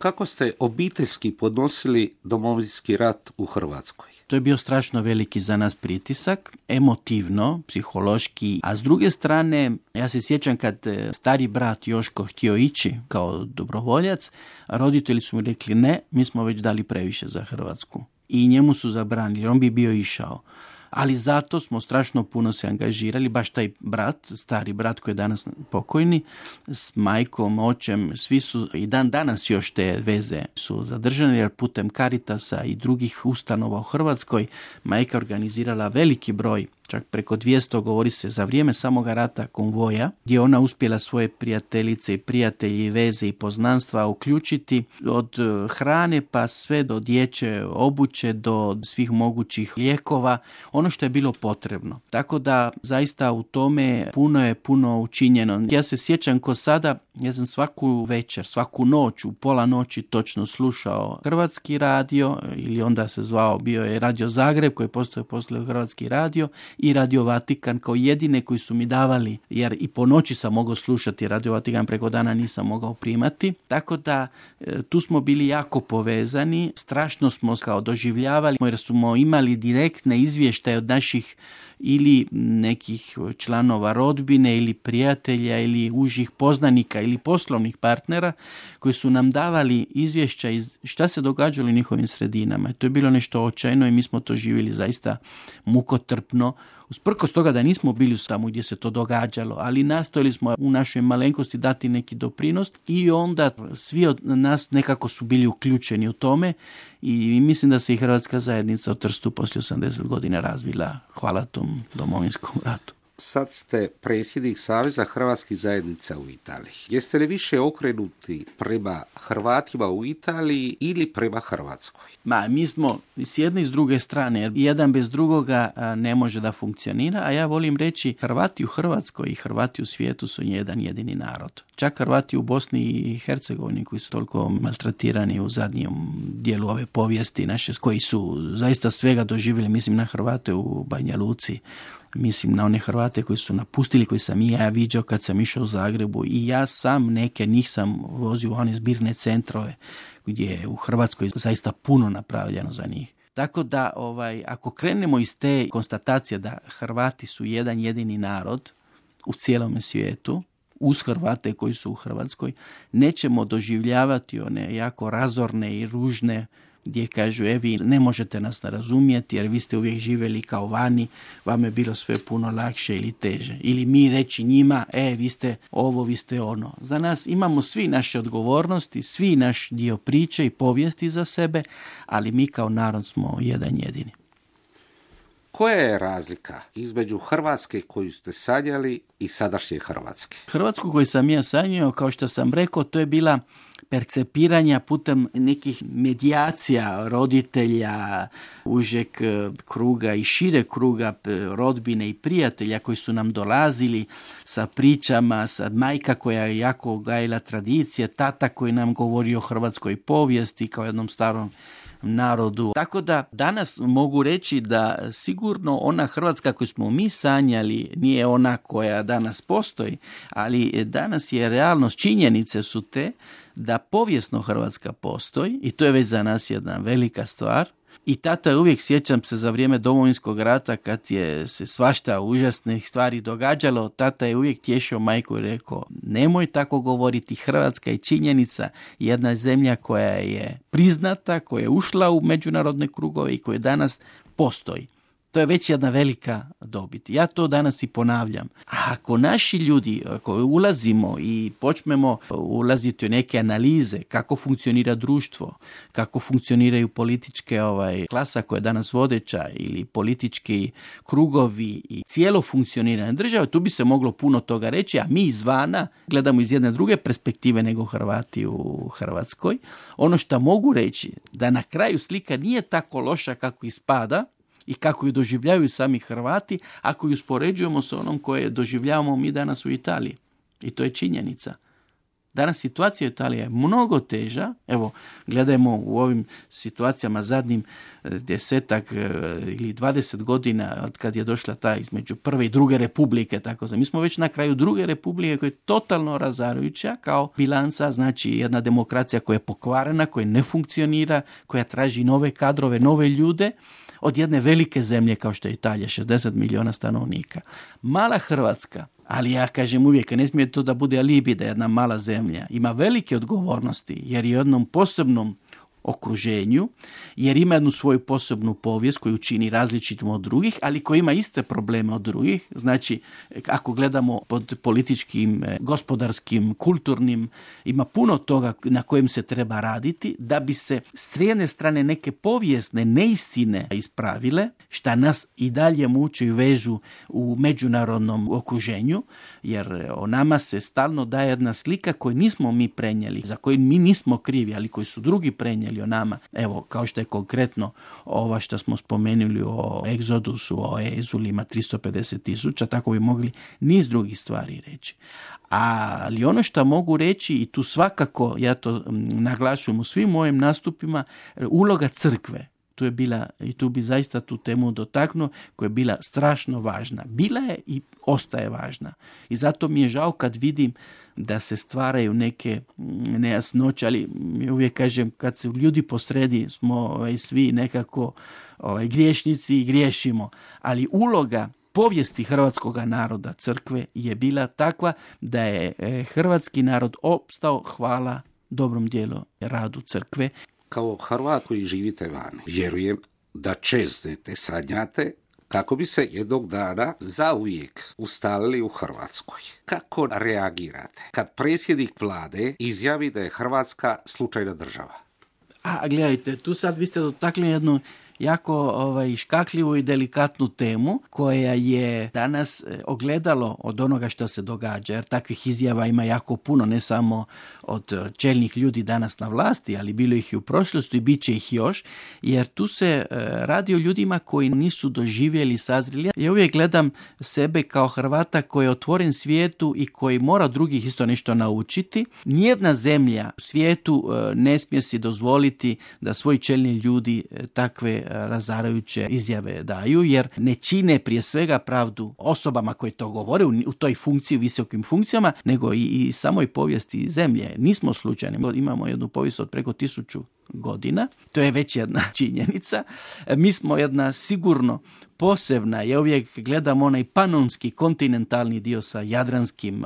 Kako ste obiteljski podnosili Domovinski rat u Hrvatskoj? To je bio strašno veliki za nas pritisak, emotivno, psihološki, a s druge strane, ja se sjećam kad stari brat Joško htio ići kao dobrovoljac, a roditelji su mu rekli ne, mi smo već dali previše za Hrvatsku. I njemu su zabranili, on bi bio išao. Ali zato smo strašno puno se angažirali, baš taj brat, stari brat koji je danas pokojni, s majkom, očem, svi su i dan danas još te veze su zadržane, jer putem Caritasa i drugih ustanova u Hrvatskoj majka organizirala veliki broj, čak preko 200, govori se, za vrijeme samoga rata konvoja, gdje ona uspjela svoje prijateljice i prijatelji, veze i poznanstva uključiti od hrane pa sve do dječje obuće, do svih mogućih lijekova, ono što je bilo potrebno. Tako da zaista u tome puno učinjeno. Ja se sjećam ko sada, ja sam svaku večer, svaku noć, u pola noći točno slušao Hrvatski radio, ili onda se zvao, bio je Radio Zagreb koji postoje poslije Hrvatski radio, i Radio Vatikan kao jedine koji su mi davali, jer i po noći sam mogao slušati Radio Vatikan, preko dana nisam mogao primati. Tako da tu smo bili jako povezani, strašno smo kao doživljavali, jer smo imali direktne izvještaje od naših ili nekih članova rodbine ili prijatelja ili užih poznanika ili poslovnih partnera koji su nam davali izvješća iz šta se događalo u njihovim sredinama. To je bilo nešto očajno i mi smo to živjeli zaista mukotrpno. Usprkos toga da nismo bili tamo gdje se to događalo, ali nastojali smo u našoj malenkosti dati neki doprinos i onda svi od nas nekako su bili uključeni u tome i mislim da se i Hrvatska zajednica u Trstu poslije 80 godina razvila hvala tom Domovinskom ratu. Sad ste predsjednik Saveza hrvatskih zajednica u Italiji. Jeste li više okrenuti prema Hrvatima u Italiji ili prema Hrvatskoj? Mi smo s jedne i s druge strane, jer jedan bez drugoga ne može da funkcionira, a ja volim reći Hrvati u Hrvatskoj i Hrvati u svijetu su jedan jedini narod. Čak Hrvati u Bosni i Hercegovini koji su toliko maltretirani u zadnjem dijelu ove povijesti naše, koji su zaista svega doživjeli, mislim na Hrvate u Banja Luci, mislim na one Hrvate koji su napustili, koji sam i ja viđao kad sam išao u Zagrebu i ja sam neke njih sam vozio u one zbirne centrove gdje je u Hrvatskoj zaista puno napravljeno za njih. Tako da ako krenemo iz te konstatacije da Hrvati su jedan jedini narod u cijelome svijetu, uz Hrvate koji su u Hrvatskoj, nećemo doživljavati one jako razorne i ružne gdje kažu, vi ne možete nas razumjeti jer vi ste uvijek živjeli kao vani, vam je bilo sve puno lakše ili teže. Ili mi reći njima, vi ste ovo, vi ste ono. Za nas imamo svi naše odgovornosti, svi naš dio priče i povijesti za sebe, ali mi kao narod smo jedan jedini. Koja je razlika između Hrvatske koju ste sanjali i sadašnje Hrvatske? Hrvatsku koju sam ja sanjao, kao što sam rekao, to je bila percepiranja putem nekih medijacija roditelja, užeg kruga i šire kruga rodbine i prijatelja koji su nam dolazili sa pričama, sa majka koja je jako gajila tradicije, tata koji nam govori o hrvatskoj povijesti kao jednom starom narodu. Tako da danas mogu reći da sigurno ona Hrvatska koju smo mi sanjali nije ona koja danas postoji, ali danas je realnost, činjenice su te da povijesno Hrvatska postoji i to je već za nas jedna velika stvar. I tata je uvijek, sjećam se za vrijeme Domovinskog rata kad je se svašta užasnih stvari događalo, tata je uvijek tješio majku i rekao, nemoj tako govoriti, Hrvatska je činjenica, jedna zemlja koja je priznata, koja je ušla u međunarodne krugove i koja danas postoji. To je već jedna velika dobit. Ja to danas i ponavljam. A ako naši ljudi, ako ulazimo i počnemo ulaziti u neke analize kako funkcionira društvo, kako funkcioniraju političke klasa koja je danas vodeća ili politički krugovi i cijelo funkcioniranje države, tu bi se moglo puno toga reći, a mi izvana gledamo iz jedne druge perspektive nego Hrvati u Hrvatskoj. Ono što mogu reći da na kraju slika nije tako loša kako ispada, i kako ju doživljavaju sami Hrvati, ako ju uspoređujemo sa onom koje doživljavamo mi danas u Italiji. I to je činjenica. Danas situacija u Italiji je mnogo teža. Evo, gledajmo u ovim situacijama zadnjim 10 ili 20 godina od kad je došla ta između prve i druge republike. Tako mi smo već na kraju druge republike koja je totalno razarajuća kao bilansa, znači jedna demokracija koja je pokvarena, koja ne funkcionira, koja traži nove kadrove, nove ljude, od jedne velike zemlje kao što je Italija, 60 milijuna stanovnika. Mala Hrvatska, ali ja kažem uvijek, ne smije to da bude alibi da jedna mala zemlja ima velike odgovornosti, jer je u jednom posebnom okruženju, jer ima jednu svoju posebnu povijest koju čini različitom od drugih, ali koji ima iste probleme od drugih. Znači, ako gledamo pod političkim, gospodarskim, kulturnim, ima puno toga na kojem se treba raditi da bi se s jedne strane neke povijesne neistine ispravile, šta nas i dalje muče i vežu u međunarodnom okruženju, jer o nama se stalno daje jedna slika koju nismo mi prenijeli, za koju mi nismo krivi, ali koji su drugi prenijeli o nama. Evo, kao što je konkretno ova što smo spomenuli o egzodusu, o Ezulima 350,000, tako bi mogli niz drugih stvari reći. Ali ono što mogu reći, i tu svakako ja to naglašujem u svim mojim nastupima, uloga crkve. Tu je bila, i tu bi zaista tu temu dotaknuo, koja je bila strašno važna. Bila je i ostaje važna. I zato mi je žao kad vidim da se stvaraju neke nejasnoće, ali uvijek kažem, kad se ljudi posredi, smo svi nekako griješnici i griješimo. Ali uloga povijesti hrvatskog naroda, crkve, je bila takva da je hrvatski narod opstao hvala dobrom dijelu radu crkve. Kao Hrvat koji živite vani, vjerujem da čeznete, sanjate kako bi se jednog dana zauvijek ustalili u Hrvatskoj. Kako reagirate kad predsjednik vlade izjavi da je Hrvatska slučajna država? A gledajte, tu sad vi ste dotakli jednu jako škakljivu i delikatnu temu koja je danas ogledalo od onoga što se događa, jer takvih izjava ima jako puno, ne samo od čelnih ljudi danas na vlasti, ali bilo ih i u prošlosti i bit će ih još, jer tu se radi o ljudima koji nisu doživjeli, sazreli. Ja uvijek gledam sebe kao Hrvata koji je otvoren svijetu i koji mora drugih isto nešto naučiti. Nijedna zemlja u svijetu ne smije si dozvoliti da svoji čelni ljudi takve razarajuće izjave daju, jer ne čine prije svega pravdu osobama koje to govore u toj funkciji, visokim funkcijama, nego i samoj povijesti zemlje. Nismo slučajni. Imamo jednu povijest od preko 1000 godina. To je već jedna činjenica. Mi smo jedna sigurno posebna, ja uvijek gledam onaj panonski kontinentalni dio sa jadranskim,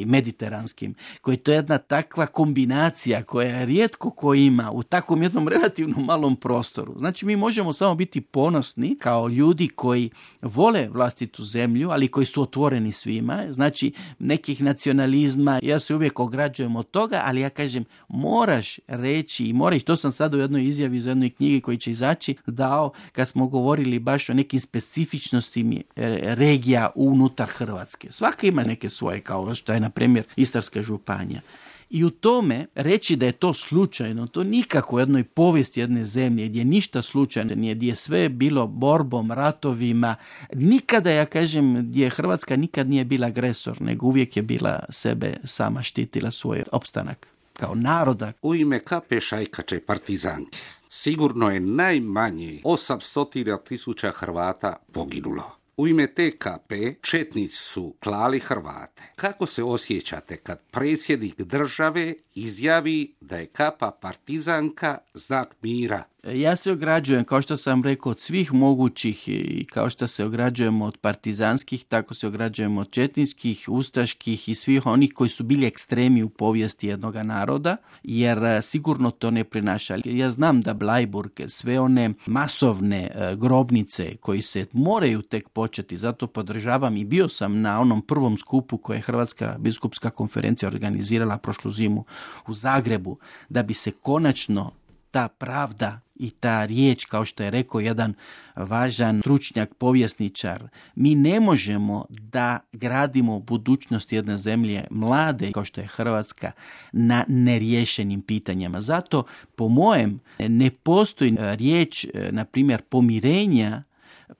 mediteranskim, koji to je jedna takva kombinacija koja rijetko ko ima u takvom jednom relativno malom prostoru. Znači mi možemo samo biti ponosni kao ljudi koji vole vlastitu zemlju, ali koji su otvoreni svima. Znači nekih nacionalizma, ja se uvijek ograđujem od toga, ali ja kažem moraš reći i moraš, to sam sad u jednoj izjavi iz jednoj knjigi koji će izaći dao kad smo govorili baš o nekim specifičnosti regija unutar Hrvatske. Svaka ima neke svoje, kao što je na primjer Istarska županija. I u tome reći da je to slučajno, to nikako u jednoj povijesti jedne zemlje gdje ništa slučajno nije, gdje je sve bilo borbom, ratovima, nikada, ja kažem, gdje Hrvatska nikad nije bila agresor, nego uvijek je bila sebe sama štitila svoj opstanak kao naroda. U ime KP Šajkače partizanke sigurno je najmanje 800.000 Hrvata poginulo. U ime TKP četnici su klali Hrvate. Kako se osjećate kad predsjednik države izjavi da je Kapa partizanka znak mira? Ja se ograđujem, kao što sam rekao, od svih mogućih i kao što se ograđujemo od partizanskih, tako se ograđujemo od četničkih, ustaških i svih onih koji su bili ekstremi u povijesti jednog naroda, jer sigurno to ne prinaša. Ja znam da Bleiburg, sve one masovne grobnice koji se moraju tek početi, zato podržavam i bio sam na onom prvom skupu koje je Hrvatska biskupska konferencija organizirala prošlu zimu u Zagrebu, da bi se konačno ta pravda i ta riječ, kao što je rekao jedan važan stručnjak, povjesničar, mi ne možemo da gradimo budućnost jedne zemlje mlade, kao što je Hrvatska, na neriješenim pitanjima. Zato, po mojem, ne postoji riječ, na primjer, pomirenja,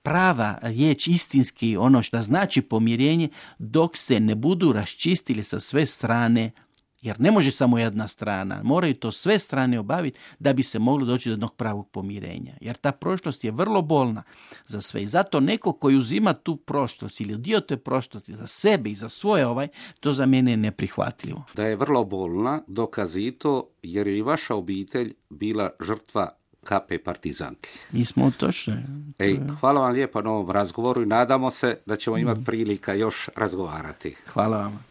prava riječ istinski, ono što znači pomirenje, dok se ne budu raščistili sa sve strane Jer ne može samo jedna strana, moraju to sve strane obaviti da bi se moglo doći do jednog pravog pomirenja. Jer ta prošlost je vrlo bolna za sve. I zato neko koji uzima tu prošlost ili dio te prošlosti za sebe i za svoje to za mene je neprihvatljivo. Da je vrlo bolna, dokaz i to jer je i vaša obitelj bila žrtva KP partizanke. Mi smo točno. Hvala vam lijepo na ovom razgovoru i nadamo se da ćemo imati prilika još razgovarati. Hvala vam.